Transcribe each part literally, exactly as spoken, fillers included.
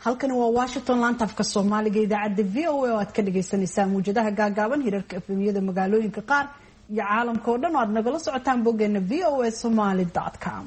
Halkani waa Washington, laanta afka Soomaaliga, idaacadda V O A oo aad ka dhagaysaneysaan muwjadaha gaagaaban, hirarka F M-yada magaalooyinka qaar iyo caalamka oo dhan oo aad nagala socotaan boggeena V O A Somali com.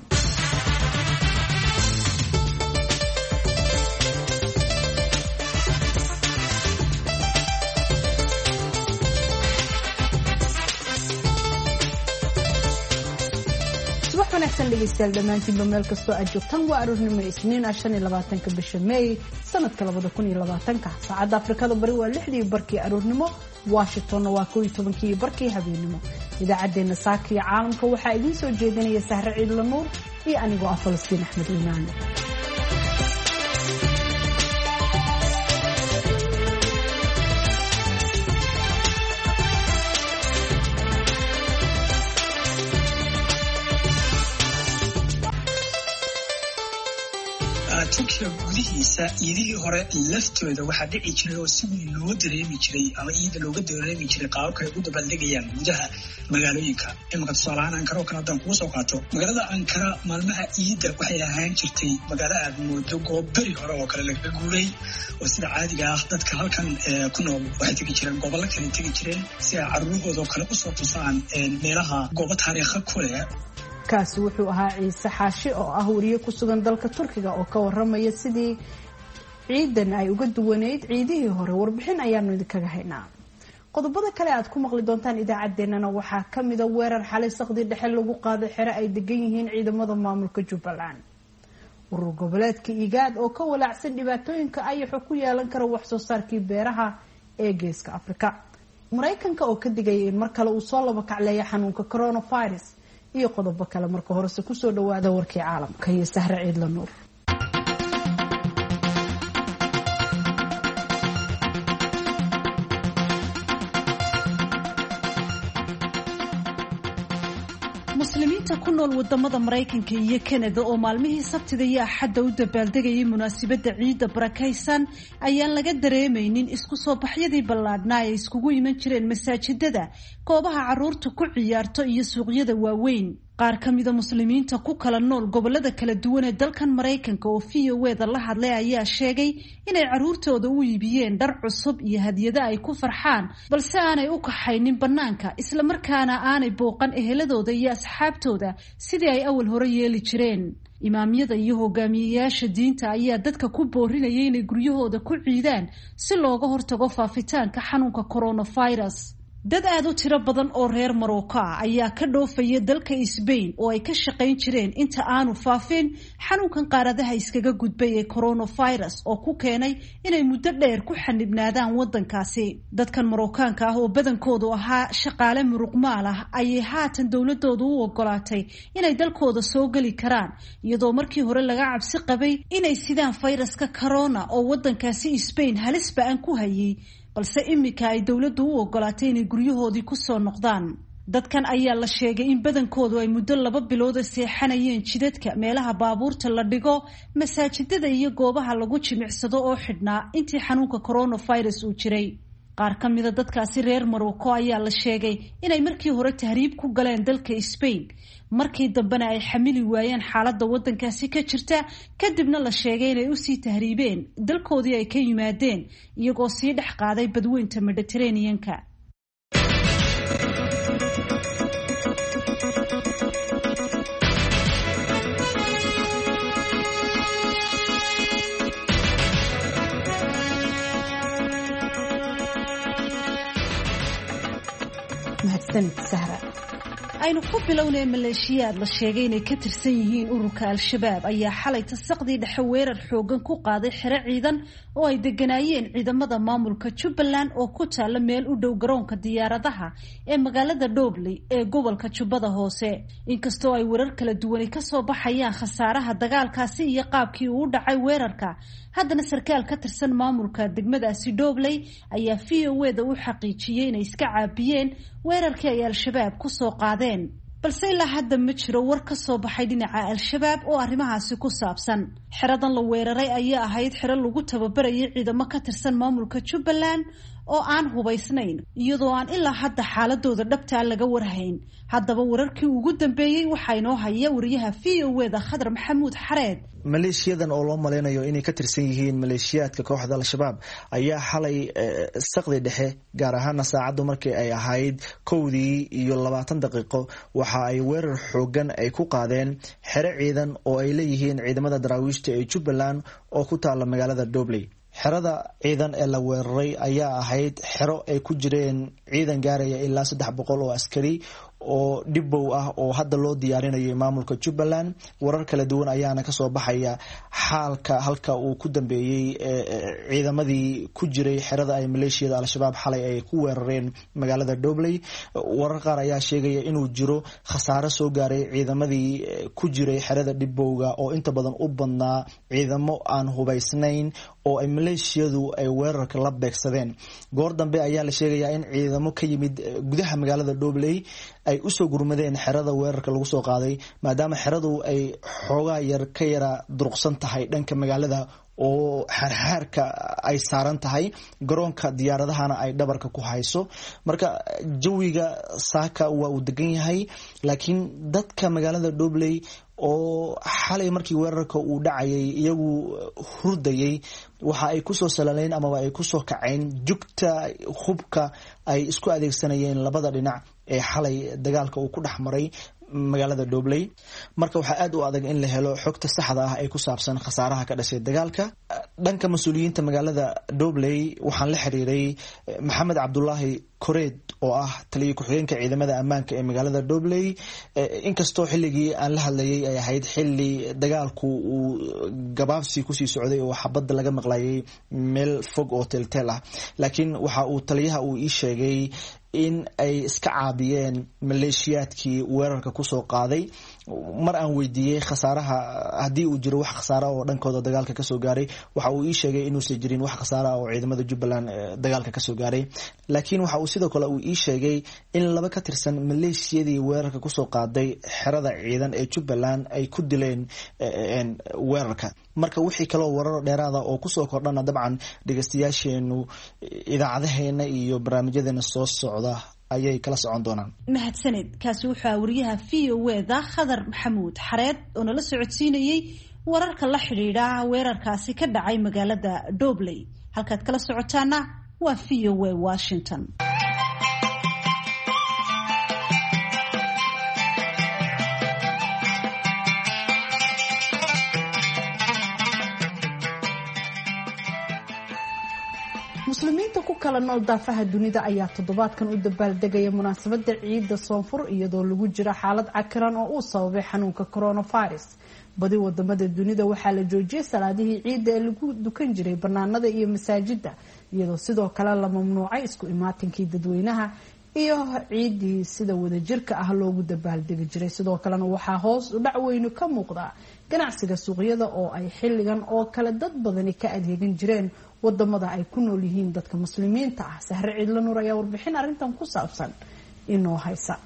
Subax wanaagsan dhegeystayaal dhammaantiinba, meel kastoo aad joogtaan. Waa aroornimo Isniin ah, shan iyo labaatanka bisha May sanadka labada kun iyo labaatanka. Saacadda Afrikada Bari waa lixdii barkii aroornimo, Washingtonna waa kow iyo tobankii barkii habeenimo. Idaacaddeenna saaka iyo caalamka waxaa idiin soo jeedinaya Sahre Ciidla Nuur iyo anigoo ah Falastiin Axmed Iimaan. Turkiga gudihiisa iidihii hore laftooda waxaa dhici jiray oo si weyn loo dareemi jiray ama iida looga dareemi jiray qaababka ay ugu dabaaldegayaan gudaha magaalooyinka. Imanka tusaalahaan Ankara oo kale haddaan kugu soo qaato, magaalada Ankara maalmaha iidda waxay ahaan jirtay magaalo aad moodo goob beri hore oo kale lagaga guuray, oo sida caadiga ah dadka halkan ku nool waxay tegi jireen gobollo kale tegi jireen si ay caruurahooda oo kale usoo tusaan meelaha goobo taariikha ku leh. Kaasi wuxuu ahaa Ciise Xaashi oo ah wariye ku sugan dalka Turkiga oo ka waramaya sidii ciidan ay uga duwaneyd ciidihii hore. Warbixin ayaanu idinkaga haynaa. Qodobada kale aad ku maqli doontaan idaacaddeenana waxaa kamida weerar xalay saqdii dhexe lagu qaaday xere ay degan yihiin ciidamada maamulka Jubbaland, urur goboleedka IGAAD oo ka walaacsan dhibaatooyinka ayaxo ku yeelan kara waxsoo saarkii beeraha ee Geeska Afrika, Maraykanka oo ka digaya in mar kale uu soo laba kacleeya xanuunka coronavirus iyo qodobo kale. Marka horese kusoo dhawaada warkii caalamka iyo Sahre Ciidla Nuur. Muslimiinta ku nool wadamada Maraykanka iyo Kanada oo maalmihii Sabtida iyo Axadda u dabaaldegayay munaasabadda ciidda barakaysan ayaan laga dareemaynin isku soo baxyadii ballaadhnaa ay iskugu iman jireen masaajidada, goobaha caruurta ku ciyaarto iyo suuqyada waaweyn. Qaar ka mida muslimiinta ku kala nool gobolada kala duwan ee dalkan Maraykanka oo V O eda la hadlay ayaa sheegay inay caruurtooda u iibiyeen dhar cusub iyo hadyado ay ku farxaan, balse aanay u kaxaynin bannaanka, islamarkaana aanay booqan eheladooda iyo asxaabtooda sidii ay awal hore yeeli jireen. Imaamyada iyo hogaamiyeyaasha diinta ayaa dadka ku boorinaya inay guryahooda ku ciidaan si looga hortago faafitaanka xanuunka coronavirus. Dad aada u tiro badan oo reer Marocco ah ayaa ka dhoofaya dalka Sbain oo ay ka shaqayn jireen inta aanu faafin xanuunkan qaaradaha iskaga gudbay ee coronavirus, oo ku keenay inay muddo dheer ku xanibnaadaan wadankaasi. Dadkan Marookaanka ah oo badankoodu ahaa shaqaale muruqmaal ah ayay haatan dowladoodu u ogolaatay inay dalkooda soo geli karaan, iyadoo markii hore laga cabsi qabay inay sidaan fayraska corona oo wadankaasi Sbain halis ba-an ku hayay, balse iminka ay dowladdu u ogolaatay inay guryahoodii kusoo noqdaan. Dadkan ayaa la sheegay in badankoodu ay muddo laba bilooda seexanayeen jidadka, meelaha baabuurta la dhigo, masaajidada iyo goobaha lagu jimicsado oo xidhnaa intii xanuunka coronavirus uu jiray. Qaar ka mida dadkaasi reer Marocco ayaa la sheegay inay markii hore tahriib ku galeen dalka Sbain, markii dambena ay xamili waayeen xaaladda wadankaasi ka jirta, kadibna la sheegay inay usii tahriibeen dalkoodii ay ka yimaadeen, iyagoo sii dhex qaaday badweynta Mediterranean-ka. Mahadsanid, Sahra. Aynu ku bilownay maleeshiyaad la sheegay inay ka tirsan yihiin ururka Al-Shabaab ayaa xalay tasaqdii dhexe weerar xoogan ku qaaday xero ciidan oo ay deganaayeen ciidamada maamulka Jubbaland oo ku taalla meel u dhow garoonka diyaaradaha ee magaalada Dhobley ee gobolka Jubbada Hoose. Inkastoo ay weerar kala duwani kasoo baxayaan khasaaraha dagaalkaasi iyo qaabkii uu u dhacay weerarka, haddana sarkaal ka tirsan maamulka degmadaasi Dhobley ayaa V O eda u xaqiijiyey inay iska caabiyeen weerarkii ay Al-Shabaab kusoo qaadeen, balse ilaa hadda ma jiro war ka soo baxay dhinaca Al-Shabaab oo arrimahaasi ku saabsan. Xeradan la weeraray ayaa ahayd xero lagu tababarayay ciidamo ka tirsan maamulka Jubbaland oo aan hubaysnayn, iyadoo aan ilaa hadda xaaladooda dhabtaa laga warhayn. Haddaba wararkii ugu dambeeyey waxaa inoo haya wariyaha V O E da Khadar Maxamuud Xareed. Maleeshiyadan oo loo malaynayo inay ka tirsan yihiin maleeshiyaadka kooxda Al-Shabaab ayaa xalay saqdi dhexe, gaar ahaana saacaddu markii ay ahayd kowdii iyo labaatan daqiiqo, waxa ay weerar xoogan ay ku qaadeen xero ciidan oo ay leeyihiin ciidamada daraawiishta ee Jubbaland oo ku taala magaalada Dobley. Xerada ciidan ee la weeraray ayaa ahayd xero ay ku jireen ciidan gaaraya ilaa saddex boqol oo askari oo dhibow ah oo hadda loo diyaarinayo maamulka Jubbaland. Warar kala duwan ayaana kasoo baxaya xaalka halka uu ku dambeeyey ciidamadii ku jiray xerada ay maleeshiyada Al-Shabaab xalay ay ku weerareen magaalada Dobley. Warar qaar ayaa sheegaya inuu jiro khasaare soo gaaray ciidamadii ku jiray xerada dhibowga oo inta badan u badnaa ciidamo aan hubaysnayn oo ay maleeshiyadu ay weerarka la beegsadeen. Goor dambe ayaa la sheegayaa in ciidamo ka yimid gudaha magaalada Dobley ay usoo gurmadeen xerada weerarka lagu soo qaaday, maadaama xeradu ay xoogaa yar ka yara duruqsan tahay dhanka magaalada oo xaarxaarka ay saaran tahay, garoonka diyaaradahana ay dhabarka ku hayso. Marka jawiga saaka waa uu degan yahay, laakiin dadka magaalada Dobley oo xalay markii weerarka uu dhacayay iyagu hurdayay waxa ay kusoo salaleen amaba ay kusoo kaceen jugta hubka ay isku adeegsanayeen labada dhinac ee xalay dagaalka uu ku dhex maray magaalada Dobley. Marka waxaa aad u adag in la helo xogta saxda ah ee ku saabsan khasaaraha ka dhashay dagaalka. Dhanka mas-uuliyiinta magaalada Dobley waxaan la xiriiray Maxamed Cabdulaahi Koreed oo ah taliye ku-xigeenka ciidamada ammaanka ee magaalada Dobley. Inkastoo xilligii aan la hadlayay ay ahayd xilli dagaalku uu gabaabsi kusii socday oo xabadda laga maqlayay meel fog oo teelteel ah, laakiin waxa uu taliyaha uu ii sheegay in ay iska caabiyeen maleeshiyaadkii weerarka kusoo qaaday. Mar aan weydiiyey khasaaraha haddii uu jiro wax khasaara oo dhankooda dagaalka kasoo gaaray, waxa uu ii sheegay inuusan jirin wax khasaara oo ciidamada Jubbaland dagaalka kasoo gaaray, laakiin waxa uu sidoo kale uu ii sheegay in laba ka tirsan maleeshiyadii weerarka kusoo qaaday xerada ciidan ee Jubbaland ay ku dileen weerarka. Marka wixii kaloo warar dheeraada oo kusoo kordhana dabcan dhegeystayaasheenu idaacadaheena iyo barnaamijyadeena soo socda ayay kala socon doonaan. Mahadsaned. Kaasi wuxuu wariyaha V O E da Khadar Maxamuud Xareed oo nala socodsiinayay wararka la xidhiidha weerarkaasi ka dhacay magaalada Dobley. Halkaad kala socotaana waa V O E Washington. Muslimiinta ku kala nool daafaha dunida ayaa toddobaadkan u dabaaldegaya munaasabada ciidda soonfur, iyadoo lagu jiro xaalad cakiran oo uu sababay xanuunka coronavirus. Badi wadamada dunida waxaa la joojiyay salaadihii ciidda ee lagu dukan jiray banaanada iyo masaajida, iyadoo sidoo kale la mamnuucay isku imaatinkii dadweynaha iyo ciiddii sida wadajirka ah loogu dabaaldegi jiray. Sidoo kalena waxaa hoos u dhac weynu ka muuqda ganacsiga suuqyada oo ay xilligan oo kale dad badani ka adeegan jireen wadamada ay ku nool yihiin dadka muslimiinta ah. Sahre Ciidla Nuur ayaa warbixin arrintan ku saabsan inoo haysa.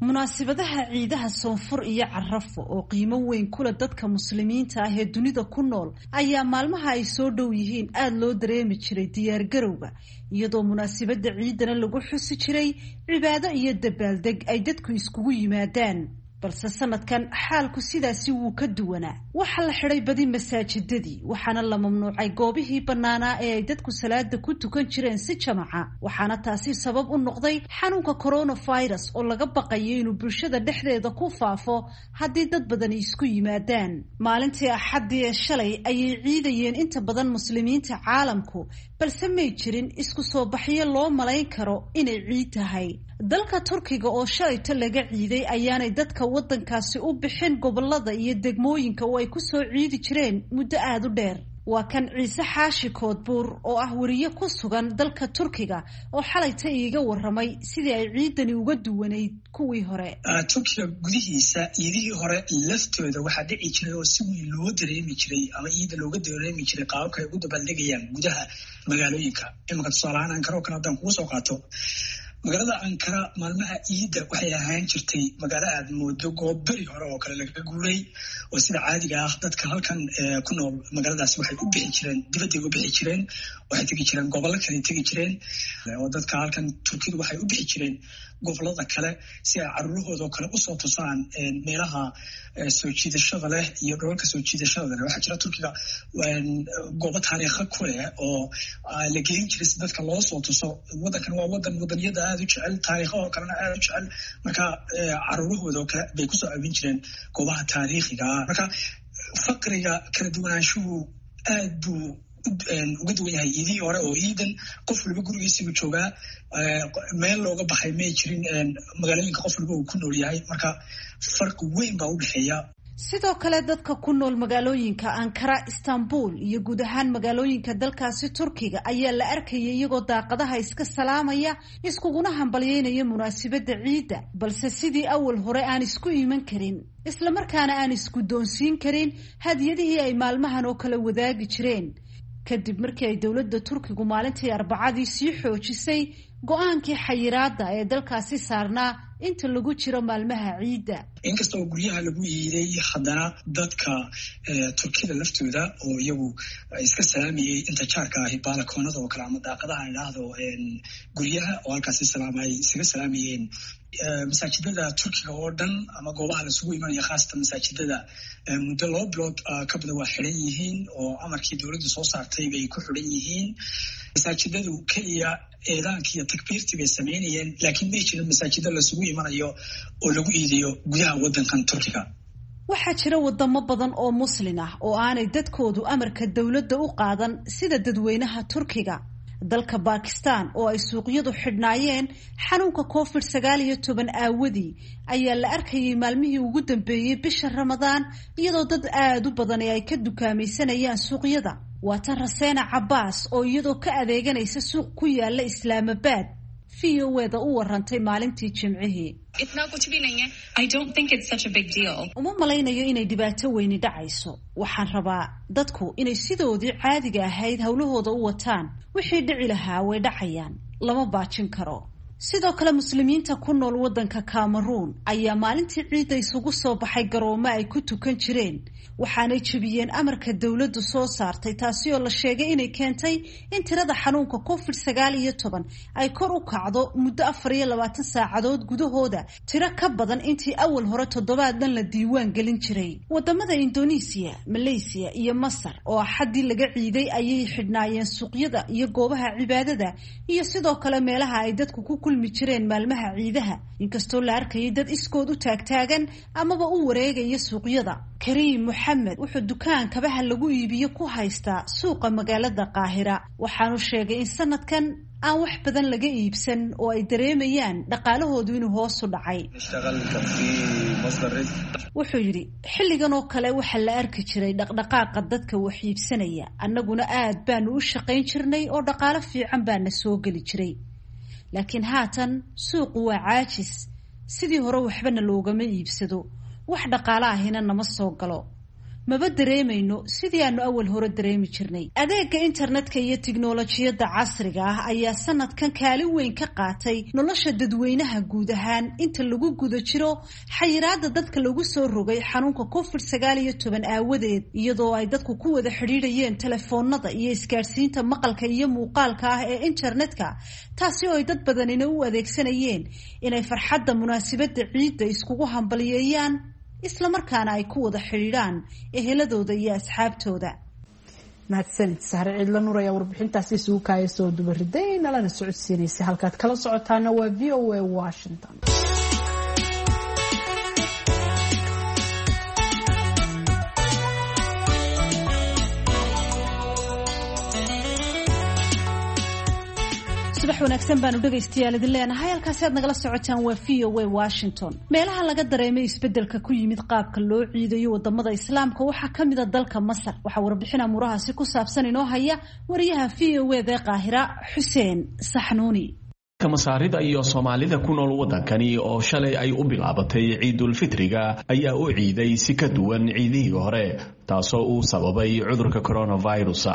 Munaasabadaha ciidaha soonfur iyo carafo oo qiimo weyn kula dadka muslimiinta ah ee dunida ku nool ayaa maalmaha ay soo dhow yihiin aada loo dareemi jiray diyaargarowga, iyadoo munaasabada ciidana lagu xusi jiray cibaado iyo dabaaldeg ay dadku iskugu yimaadaan. Balse sanadkan xaalku sidaasi wuu ka duwanaa. Waxaa la xidhay badi masaajidadii, waxaana la mamnuucay goobihii bannaanaa ee ay dadku salaada ku tukan jireen si jamaca. Waxaana taasi sabab u noqday xanuunka coronavirus oo laga baqayo inuu bulshada dhexdeeda ku faafo haddii dad badani isku yimaadaan. Maalintii Axaddii ee shalay ayay ciidayeen inta badan muslimiinta caalamku, balse may jirin isku soo baxyo loo malayn karo inay ciid tahay. Dalka Turkiga oo shalayto laga ciiday ayaanay dadka waddankaasi u bixin gobolada iyo degmooyinka oo ay ku soo ciidi jireen muddo aada u dheer. Waa kan Ciise Xaashi Koodbuur oo ah wariye ku sugan dalka Turkiga oo xalayta iiga waramay sidii ay ciidani uga duwanayd kuwii hore. Turkiga gudihiisa ciidihii hore laftooda waxaa dhici jiray oo si weyn loo dareemi jiray ama ciida looga dareemi jiray qaababka ay ugu dabaaldegayaan gudaha magaalooyinka. Iminka tusaale ahaan Ankara oo kale haddaan kugu soo qaato, Magaalada Ankara maalmaha ciidda waxay ahaan jirtay magaalo aad moodo goob beri hore oo kale lagaga guuray, oo sida caadiga ah dadka halkan ku nool magaaladaasi waxay u bixi jireen, dibadday u bixi jireen, waxay tegi jireen gobollo kale tegi jireen, oo dadka halkan Turkidu waxay u bixi jireen gobolada kale si ay caruurahooda oo kale usoo tusaan meelaha soo jiidashada leh iyo dholalka soo jiidashada leh. Waxaa jira Turkiga goobo taariikha ku leh oo la gelin jiray si dadka loo soo tuso. Waddankan waa wadan wadaniyada aada u jecel, taariikha oo kalena aada u jecel, marka caruurahooda oo kale bay kusoo caawin jireen goobaha taariikhiga ah. Marka faqriga kala duwanaanshuhu aad buu uga duwan yahay iidihii hore, oo iidan qof waliba gurigiisiibuu joogaa, meel looga baxay may jirin, magaalooyinka qof waliba uu ku nool yahay, marka farqi weyn baa u dhexeeya. Sidoo kale dadka ku nool magaalooyinka Ankara, Istanbul iyo guud ahaan magaalooyinka dalkaasi Turkiga ayaa la arkayay iyagoo daaqadaha iska salaamaya, iskuguna hambalyeynaya munaasabadda ciidda, balse sidii awal hore aan isku iman karin, islamarkaana aan isguddoonsiin karin hadiyadihii ay maalmahan oo kale wadaagi jireen, kadib markii ay dowladda Turkigu maalintii Arbacadii sii xoojisay go-aankii xayiraadda ee dalkaasi saarnaa inta lagu jiro maalmaha ciidda. Inkasta oo guryaha lagu iiday, haddana dadka Turkida laftooda oo iyagu iska salaamayay inta jaarka ahi baalakoonada oo kale ama daaqadaha idhaahdo guryaha oo halkaasi salaamay isaga salaamayeen. Masaajidada Turkiga oo dhan ama goobaha lasugu imanaya, khaasatan masaajidada, muddo laba bilood ka badan waa xidhan yihiin, oo amarkii dowladdu soo saartay bay ku xidhan yihiin. Masaajidadu keliya eedaankii iyo takbiirtii bay samaynayeen, laakiin may jirin masaajida lasugu imanayo oo lagu iidayo gudaha waddankan Turkiga. Waxaa jira wadamo badan oo muslin ah oo aanay dadkoodu amarka dowladda u qaadan sida dadweynaha Turkiga. Dalka Bakistan oo ay suuqyadu xidhnaayeen xanuunka covid sagaal iyo toban aawadii ayaa la arkayay maalmihii ugu dambeeyey bisha Ramadaan iyadoo dad aada u badan ee ay ka dukaamaysanayaan suuqyada. Waa tan Raseena Cabaas oo iyadoo ka adeeganaysa suuq ku yaala Islaamabad V O A-da u warantay maalintii Jimcihii. Uma malaynayo inay dhibaato weyni dhacayso. Waxaan rabaa dadku inay sidoodii caadiga ahayd howlahooda u wataan. Wixii dhici lahaa way dhacayaan, lama baajin karo. Sidoo kale muslimiinta ku nool waddanka Cameroon ayaa maalintii ciidda isugu soo baxay garoomo ay ku tukan jireen, waxaanay jebiyeen amarka dowladdu soo saartay, taasi oo la sheegay inay keentay in tirada xanuunka covid sagaal iyo toban ay kor u kacdo muddo afar iyo labaatan saacadood gudahooda, tiro ka badan intii awal hore toddobaad dhan la diiwaan gelin jiray. Wadamada Indonesia, Malaysia iyo Masar oo axaddii laga ciiday ayay xidhnaayeen suuqyada iyo goobaha cibaadada iyo sidoo kale meelaha ay dadku ku kulmi jireen maalmaha ciidaha, inkastoo la arkayay dad iskood u taagtaagan amaba u wareegaya suuqyada. Kariim Moxamed wuxuu dukaan kabaha lagu iibiyo ku haystaa suuqa magaalada Qaahira, waxaanu sheegay in sanadkan aan wax badan laga iibsan oo ay dareemayaan dhaqaalahoodu inuu hoos u dhacay. Wuxuu yidhi, xilligan oo kale waxaa la arki jiray dhaqdhaqaaqa dadka wax iibsanaya, annaguna aad baanu u shaqayn jirnay oo dhaqaalo fiican baana soo geli jiray, laakiin haatan suuqu waa caajis, sidii hore waxbana loogama iibsado, wax dhaqaale ahina nama soo galo, maba dareemayno sidii aanu awal hore dareemi jirnay. Adeega internetka iyo tiknolojiyadda casriga ah ayaa sanadkan kaalin weyn ka qaatay nolosha dadweynaha guud ahaan inta lagu guda jiro xayiraadda dadka lagu soo rogay xanuunka covid sagaal iyo toban aawadeed, iyadoo ay dadku ku wada xidhiidhayeen telefoonada iyo isgaadhsiinta maqalka iyo muuqaalka ah ee internetka, taasi oo ay dad badanina u adeegsanayeen inay farxadda munaasabadda ciidda iskugu hambaliyeeyaan, islamarkaana ay ku wada xidhiidhaan eheladooda iyo asxaabtooda. Mahadsanid Sahre Ciidla Nuur ayaa warbixintaasi isugu kaaya soo dubariday nalana socodsiinaysa. Halkaad kala socotaana waa V O A Washington. Subax wanaagsan baanu dhegaystayaal idin leenahay, halkaasi aad nagala socotaan waa V O A Washington. Meelaha laga dareemay isbeddelka ku yimid qaabka loo ciidayo wadamada Islaamka waxaa ka mid a dalka Masar. Waxaa warbixin amuurahaasi ku saabsan inoo haya wariyaha V O A da Qaahira, Xuseen Saxnuuni. Masaarida iyo Soomaalida ku nool waddankani oo shalay ay u bilaabatay ciidulfitriga ayaa u ciiday si ka duwan ciidihii hore, taasoo uu sababay cudurka coronavirus.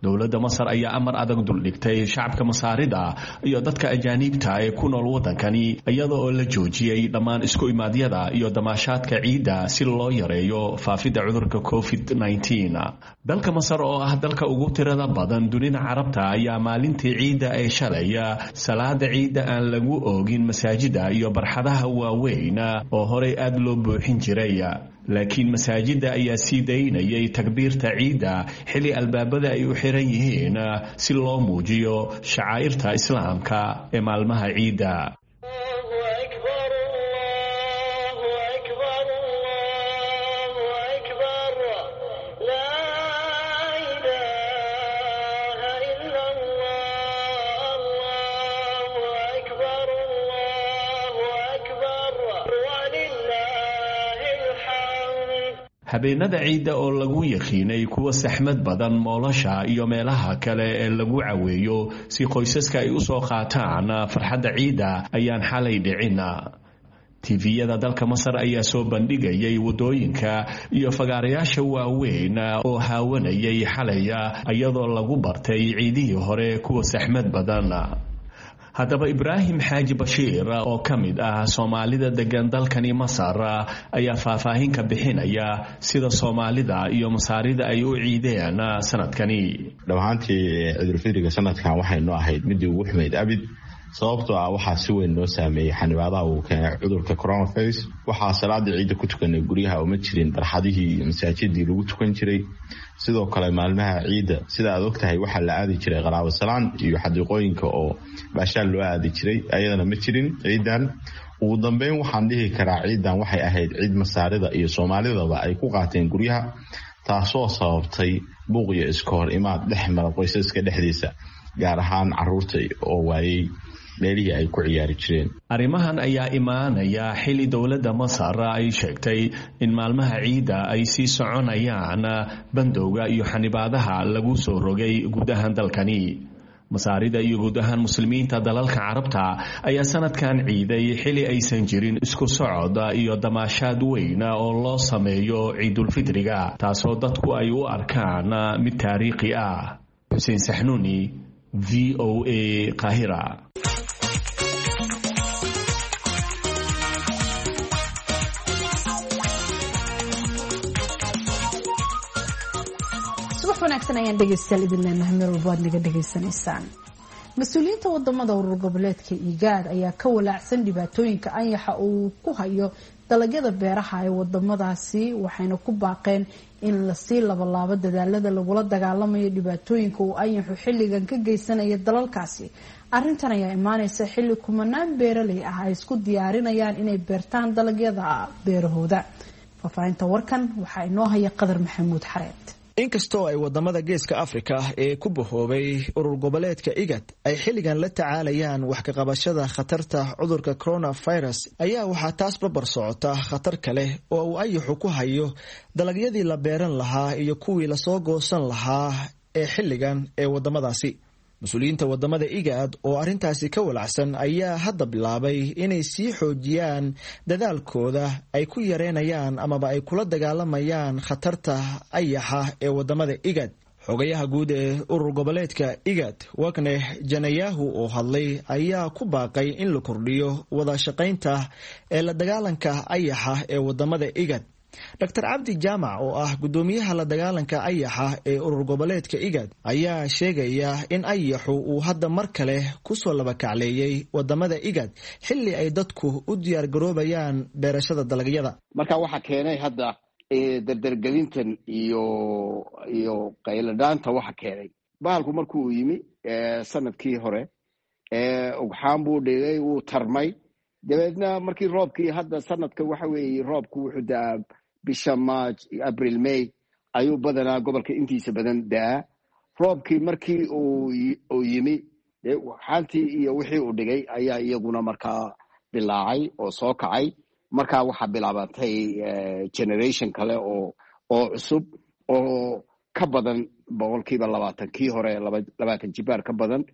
Dowladda Masar ayaa amar adag duldhigtay shacabka Masaarida iyo dadka ajaaniibta ee ku nool waddankani, iyada oo la joojiyey dhammaan isku imaadyada iyo damaashaadka ciidda si loo yareeyo faafidda cudurka covid nineteen. Dalka Masar oo ah dalka ugu tirada badan dunida Carabta ayaa maalintii ciidda ee shalaya salaada ciidda aan lagu oogin masaajida iyo barxadaha waaweyn oo horey aad loo buuxin jiray. Laakiin masaajida ayaa sii daynayay takbiirta ciidda xilli albaabada ay u xiran yihiin si loo muujiyo shacaa'irta islaamka ee maalmaha ciidda. Habeenada ciidda oo lagu yaqiinay kuwa saxmad badan moolasha iyo meelaha kale ee lagu caweeyo si qoysaska ay u soo qaataan farxadda ciidda ayaan xalay dhicin. T V-yada dalka Masar ayaa soo bandhigayay waddooyinka iyo fagaarayaasha waaweyn oo haawanayay xalaya, iyadoo lagu bartay ciidihii hore kuwa saxmad badan. Haddaba Ibraahim Xaaji Bashiir oo ka mid ah Soomaalida degan dalkani Masar ayaa faahfaahin ka bixinaya sida Soomaalida iyo Masaarida ay u ciideen sanadkani. Dhab ahaantii, ciidulfidriga sanadkan waxay noo ahayd midii ugu xumayd abid, sababtoo ah waxaa si weyn noo saameeyey xanibaadaha uu keenay cudurka coronavirus. Waxaa salaadii ciidda ku tukanay guryaha, uma jirin barxadihii iyo masaajidii lagu tukan jiray. Sidoo kale, maalmaha ciidda, sida aad ogtahay, waxaa la aadi jiray qaraabo salaan iyo xadiiqooyinka oo baashaal loo aadi jiray, ayadana ma jirin ciidan. Ugu dambeyn, waxaan dhihi karaa ciidan waxay ahayd ciid Masaarida iyo Soomaalidaba ay ku qaateen guryaha, taasoo sababtay buuq iyo iska hor imaad dhex mara qoysaska dhexdiisa, gaar ahaan caruurta oo waayey meelihii ay ku ciyaari jireen. Arrimahan ayaa imaanaya xilli dowladda Masar ay sheegtay in maalmaha ciidda ay sii soconayaan bandowga iyo xanibaadaha lagu soo rogay guud ahaan dalkani. Masaarida iyo guud ahaan muslimiinta dalalka Carabta ayaa sanadkan ciiday xili aysan jirin isku socod iyo damaashaad weyn oo loo sameeyo ciidulfidriga, taasoo dadku ay u arkaan mid taariikhi ah. Xuseen Saxnuuni, V O A, Qaahira. Subax wanaagsan ayaan dhegeystayaal idin leenahay meel walbo aad naga dhegaysanaysaan. Mas-uuliyiinta wadamada urur goboleedka IGAAD ayaa ka walaacsan dhibaatooyinka anyaxa uu ku hayo dalagyada beeraha ee wadamadaasi, waxayna ku baaqeen in lasii labalaabo dadaalada lagula dagaalamayo dhibaatooyinka uu anyaxu xilligan ka geysanaya dalalkaasi. Arintan ayaa imaaneysa xilli kumanaan beeraley ah ay isku diyaarinayaan inay beertaan dalagyada beerahooda. Faahfaahinta warkan waxaa inoo haya Qadar Maxamuud Xareed. Inkastoo ay wadamada Geeska Afrika ee ku bahoobay urur goboleedka IGAD ay xilligan la tacaalayaan wax ka qabashada khatarta cudurka coronavirus, ayaa waxaa taas barbar socota khatar kale oo uu ayaxu ku hayo dalagyadii la beeran lahaa iyo kuwii lasoo goosan lahaa ee xilligan ee wadamadaasi. Mas-uuliyiinta wadamada IGAD oo arrintaasi ka walacsan ayaa hadda bilaabay inay sii xoojiyaan dadaalkooda ay ku yareynayaan amaba ay kula dagaalamayaan khatarta ayaxa ee wadamada IGAD. Xogayaha guud ee urur goboleedka IGAD, Workneh Gebeyehu, oo hadlay ayaa ku baaqay in la kordhiyo wada shaqaynta ee la dagaalanka ayaxa ee wadamada IGAD. Doctor Cabdi Jaamac oo ah guddoomiyaha la dagaalanka ayaxa ee urur goboleedka IGAD ayaa sheegaya in ayaxu uu hadda mar kale kusoo labakacleeyey wadamada IGAD xilli ay dadku u diyaar garoobayaan beerashada dalagyada. Marka waxaa keenay hadda dardargelintan iyo iyo qayladhaanta, waxa keenay bahalku markuu yimi sanadkii hore ugxaan buu dhigay, wuu tarmay. Dabeedna markii roobkii hadda sanadka, waxa weeye, roobku wuxuu da-aa bisha March, April, May ayuu badanaa gobolka intiisa badan da-aa. Roobkii markii uu yimi, ugxaantii iyo wixii uu dhigay ayaa iyaguna markaa bilaacay oo soo kacay. Markaa waxaa bilaabantay generation kale oo oo cusub oo ka badan boqolkiiba labaatan kii hore, labaatan jibaar ka badan.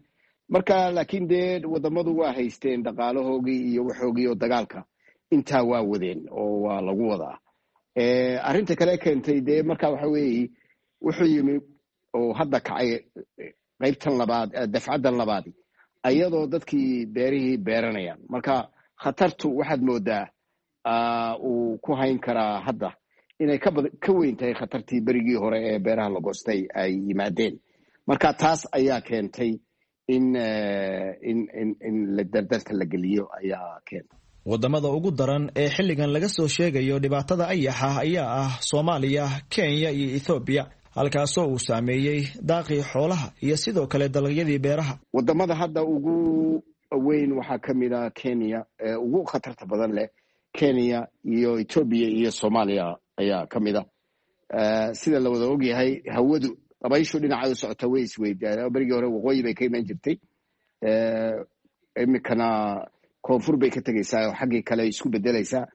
Marka laakiin dee wadamadu waa haysteen dhaqaalahoogii iyo waxoogii oo dagaalka intaa waa wadeen oo waa lagu wadaa. Arrinta kale keentay dee marka waxa weeye, wuxuu yimi oo hadda kacay qaybtan labaad, dafcaddan labaadi, ayadoo dadkii beerihii beeranayaan. Marka khatartu waxaad moodaa uu ku hayn karaa hadda inay kaba ka weyn tahay khatartii berigii hore ee beeraha la goostay ay yimaadeen. Marka taas ayaa keentay in in in in la dardarta la geliyo ayaa keentay. Wadamada ugu daran ee xilligan laga soo sheegayo dhibaatada ayaxa ayaa ah Soomaaliya, Kenya iyo Ethoobiya, halkaasoo uu saameeyey daaqii xoolaha iyo sidoo kale dalagyadii beeraha. Wadamada hadda ugu weyn waxaa ka mid ah Kenya, ee ugu khatarta badan leh Kenya iyo Etoobiya iyo Soomaaliya ayaa ka mid ah. Sida la wada ogyahay, hawadu dabayshu dhinaca u socota way isweydaa. Berigii hore waqooyi bay ka iman jirtay, iminkana koonfur bay ka tegaysaa oo xaggii kale isku bedelaysaa.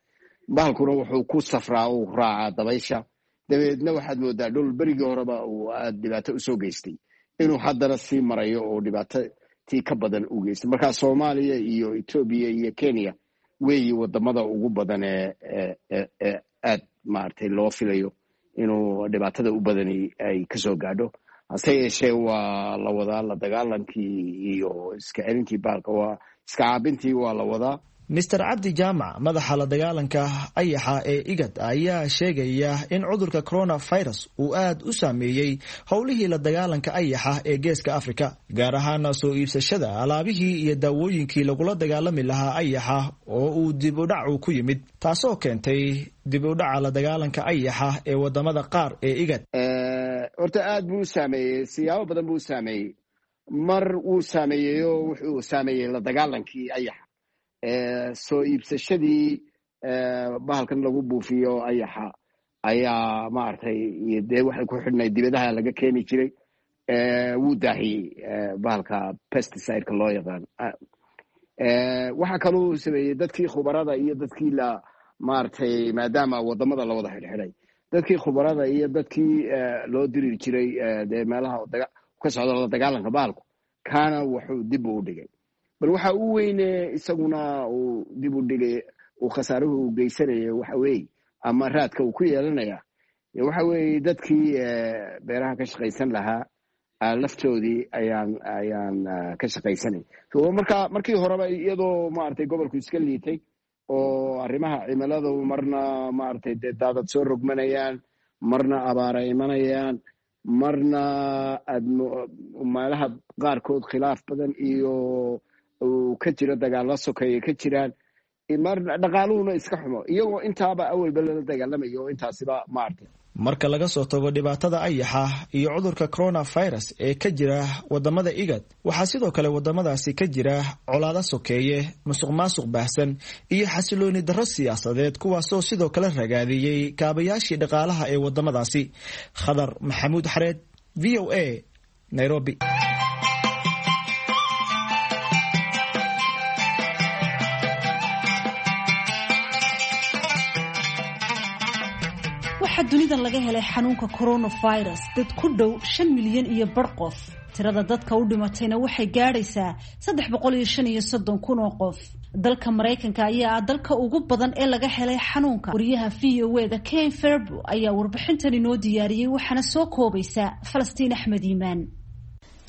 Bahalkuna wuxuu ku safraa uu raacaa dabaysha. Dabeedna waxaad moodaa dhul berigii horeba uu aada dhibaato usoo geystay inuu haddana sii marayo oo dhibaato tii ka badan u geystay. Marka Soomaaliya iyo Etoobiya iyo Kenya weeyi wadamada ugu badan ee ee ee aad maaragtay loo filayo inuu dhibaatada u badani ay kasoo gaadho. Hase yeeshee waa la wadaa la dagaalankii iyo iska celintii bahalka, waa iska caabintii waa la wadaa. Mister Cabdi Jaamac, madaxa la dagaalanka ayaxa ee IGAD, ayaa sheegaya in cudurka coronavirus uu aad u saameeyey howlihii la dagaalanka ayaxa ee geeska Afrika, gaar ahaana soo iibsashada alaabihii iyo daawooyinkii lagula dagaalami lahaa ayaxa oo uu dib u dhacu ku yimid, taasoo keentay dib u dhaca la dagaalanka ayaxa ee wadamada qaar ee IGAD. Horta aad buu u saameeyey, siyaabo badan buu u saameeyey. Mar wuu saameeyeyo wuxuu saameeyey la dagaalankii ayaxa, soo iibsashadii bahalkan lagu buufiyo ayaxa ayaa maaragtay dee waxay ku xidhnayd dibadaha laga keeni jiray, wuu daahiyey bahalka pesticideka loo yaqaan. Waxaa kaluu sameeyey dadkii khubarada iyo dadkii la maaragtay, maadaama wadamada la wada xidhxidhay, dadkii khubarada iyo dadkii loo diri jiray dee meelaha ka socda la dagaalanka bahalku, kaana wuxuu dib u dhigay. Bal waxa u weyne isaguna uu dib u dhigay uu khasaaruhu u geysanaya waxa weeye, ama raadka uu ku yeelanaya waxa weeye, dadkii beeraha ka shaqaysan lahaa laftoodii ayaan ayaan ka shaqaysanay. Marka markii horeba iyadoo maaragtay gobolku iska liitay oo arrimaha cimiladu marna maaragtay dee daadad soo rogmanayaan, marna abaara imanayaan, marna aad meelaha qaarkood khilaaf badan iyo uu ka jiro dagaalla sokeeye ka jiraan, marna dhaqaaluhuna iska xumo, iyagoo intaaba awalba lala dagaalamayo oo intaasiba maaragtay. Marka laga soo tago dhibaatada ayaxa iyo cudurka coronavirus ee ka jira wadamada IGAD, waxaa sidoo kale wadamadaasi ka jira colaado sokeeye, musuq maasuq baahsan iyo xasilooni darro siyaasadeed, kuwaasoo sidoo kale ragaadiyey kaabayaashii dhaqaalaha ee wadamadaasi. Khadar Maxamuud Xareed, V O A, Nairobi. Waxaa dunidan laga helay xanuunka coronavirus dad ku dhow shan milyan iyo bar qof. Tirada dadka u dhimatayna waxay gaadhaysaa saddex boqol iyo shan iyo soddon kun oo qof. Dalka Maraykanka ayaa ah dalka ugu badan ee laga helay xanuunka. Wariyaha V O A da Ken Ferbo ayaa warbixintan inoo diyaariyey, waxaana soo koobaysa Falastiin Axmed Iimaan.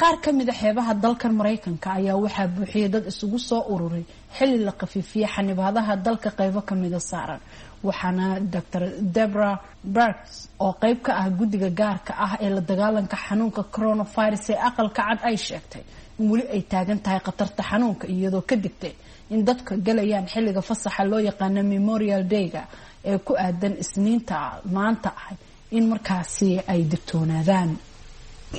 Qaar ka mid a xeebaha dalkan Maraykanka ayaa waxaa buuxiyay dad isugu soo ururay xilli la khafiifiyey xanibaadaha dalka qaybo kamida saaran. Waxaana Doctor Debra Burks oo qayb ka ah guddiga gaarka ah ee la dagaalanka xanuunka coronavirus ee aqalka cad ay sheegtay in weli ay taagan tahay khatarta xanuunka, iyadoo ka digtay in dadka galayaan xilliga fasaxa loo yaqaano Memorial Day-ga ee ku aadan Isniinta maanta ah in markaasi ay digtoonaadaan.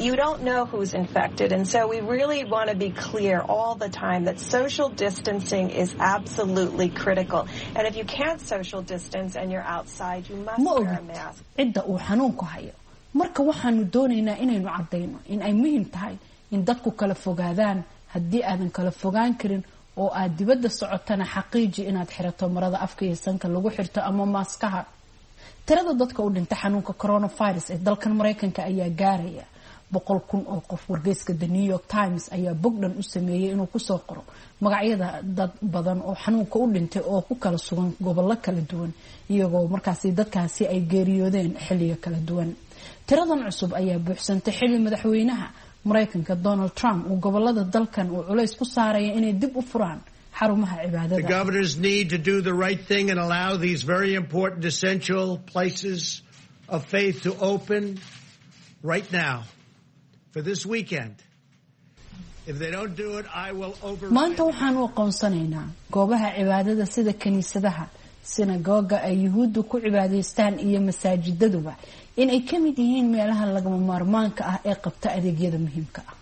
You don't know who's infected, and so we really want to be clear all the time that social distancing is absolutely critical. And if you can't social distance and you're outside, you must wear a mask. Cidda uu xanuunku hayo. Marka waxaanu doonaynaa inaynu caddayno in ay muhiim tahay in dadku kala fogaadaan. Haddii aadan kala fogaan karin oo aad dibadda socotana, xaqiiji inaad xirato marada afka iyo sanka lagu xirto ama maaskaha. Tirada dadka u dhinta xanuunka coronavirus ee dalkan Maraykanka ayaa gaaraya Boqol kun oo qof. Wargeyska The New York Times ayaa bogdhan u sameeyey inuu kusoo qoro magacyada dad badan oo xanuunka u dhintay oo ku kala sugan gobollo kala duwan, iyagoo markaasi dadkaasi ay geeriyoodeen xilliyo kala duwan. Tiradan cusub ayaa buuxsantay xilli madaxweynaha Mareykanka Donald Trump uu gobolada dalkan uu culays ku saaraya inay dib u furaan xarumaha cibaadada. The governors need to do the right thing and allow these very important essential places of faith to open right now for this weekend. If they don't do it, I will override. Maanta waxaanu aqoonsanaynaa goobaha cibaadada sida kiniisadaha, sinagoga ay yuhuuddu ku cibaadaystaan iyo masaajidaduba in ay ka mid yihiin meelaha lagama maarmaanka ah ee qabta adeegyada muhiimka ah.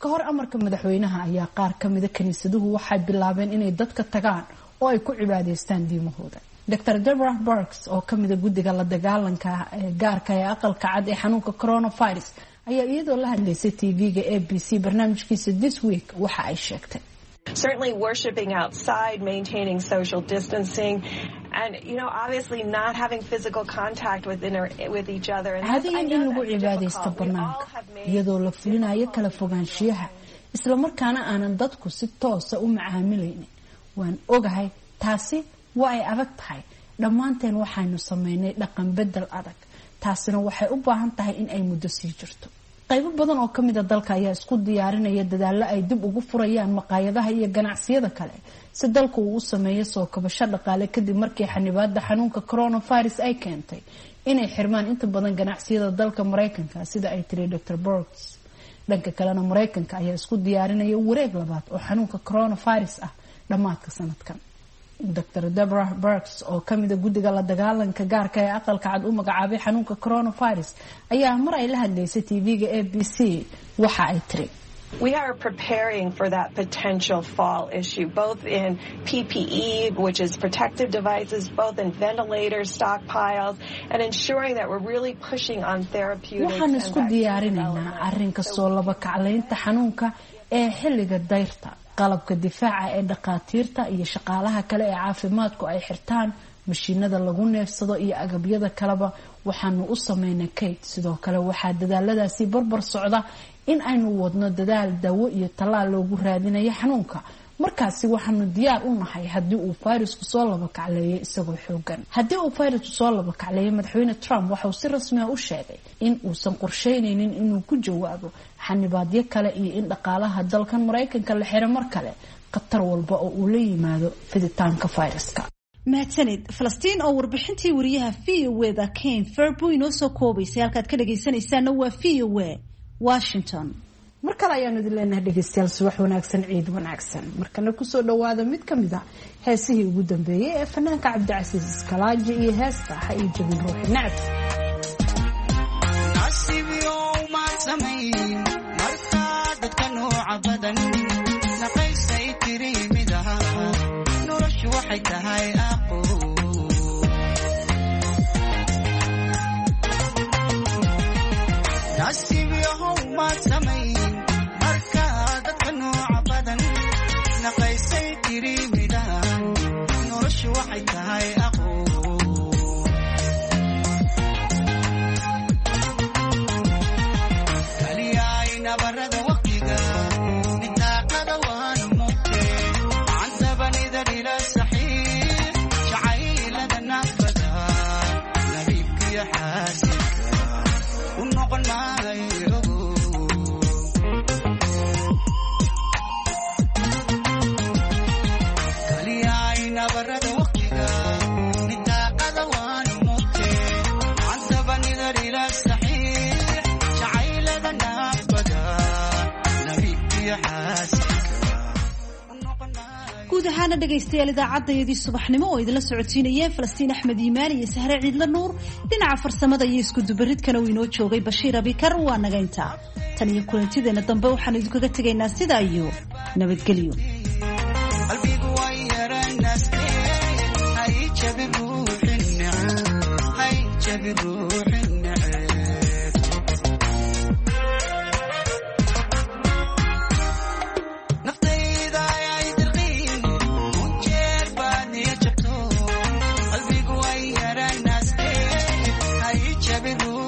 Ka hor amarka madaxweynaha ayaa qaar ka mida kiniisaduhu waxay bilaabeen inay dadka tagaan oo ay ku cibaadaystaan diimahooda. Doctor Deborah Burks oo kamida guddiga la dagaalanka ee gaarka ee aqalka cad ee xanuunka coronavirus ayaa iyadoo la hadlaysay T V-ga A B C barnaamijkiisa This Week waxa ay sheegtay: Certainly worshiping outside, maintaining social distancing, and, you know, obviously not having physical contact with, inter- with each other. And Caadiyan in lagu cibaadaysto bannaanka iyadoo la fulinayo kala fogaanshiyaha, islamarkaana aanan dadku si toosa u macaamilaynin, waan ogahay taasi waa ay adag tahay. Dhammaanteen waxaynu sameynay dhaqan bedel adag, taasina waxay u baahan tahay in ay muddo sii jirto. Qaybo badan oo kamid a dalka ayaa isku diyaarinaya dadaallo ay dib ugu furayaan maqaayadaha iyo ganacsiyada kale si dalku uu u sameeyo soo kabasho dhaqaale, kadib markii xanibaada xanuunka coronavirus ay keentay inay xirmaan inta badan ganacsiyada dalka Mareykanka, sida ay tiri Doctor Burks. Dhanka kalena, Mareykanka ayaa isku diyaarinaya wareeg labaad oo xanuunka coronavirus ah dhammaadka sanadkan. Doctor Deborah Burks oo kamida guddiga la dagaalanka gaarka ee aqalka cad u magacaabay xanuunka coronavirus ayaa mar ay la hadlaysay T V-ga A B C waxa ay tiri: We are preparing for that potential fall issue, both in P P E, which is protective devices, both in ventilators, stockpiles, and ensuring that we're really pushing on therapeutics. Waxaan isku diyaarinaynaa arrinka soo laba kaclaynta xanuunka ee xilliga dayrta, qalabka difaaca ee dhakhaatiirta iyo shaqaalaha kale ee caafimaadku ay xirtaan, mashiinada lagu neefsado iyo agabyada kaleba waxaanu u sameynay kayd. Sidoo kale waxaa dadaaladaasi barbar socda in aynu wadno dadaal daawo iyo tallaal loogu raadinayo xanuunka. Markaasi waxaanu diyaar u nahay haddii uu fayrasku soo laba kacleeyo isagoo xoogan. Haddii uu fayrasku soo laba kacleeyo, madaxweyne Trump waxauu si rasmi ah u sheegay in uusan qorsheynaynin inuu ku jawaabo xanibaadyo kale iyo in dhaqaalaha dalkan Maraykanka la xiro mar kale khatar walba oo uu la yimaado fiditaanka fayraska. Mahadsanid Falastiin oo warbixintii wariyaha V O da Ken Ferbo inoo soo koobaysay. Halkaad ka dhagaysanaysaana waa V O A Washington. Mar kale ayaanu idin leenahay, dhegeystayaal, subax wanaagsan, ciid wanaagsan. Markana kusoo dhawaada mid ka mid a heesihii ugu dambeeyey ee fanaanka Cabdicasiis Iskalaaji iyo heesta Ha Ii Jabin Ruuxi Nacab. Guud ahaana, dhegaystayaal, idaacadayadii subaxnimo oo idinla socodsiinayeen Falastiin Axmed Iimaan iyo Sahre Ciidla Nuur, dhinaca farsamada iyo iskudubaridkana uu inoo joogay Bashiir Abikar, waa naga intaa. Tan iyo kulantideenna dambe waxaan idinkaga tegaynaa sidaa iyo nabadgelyo. Jabin.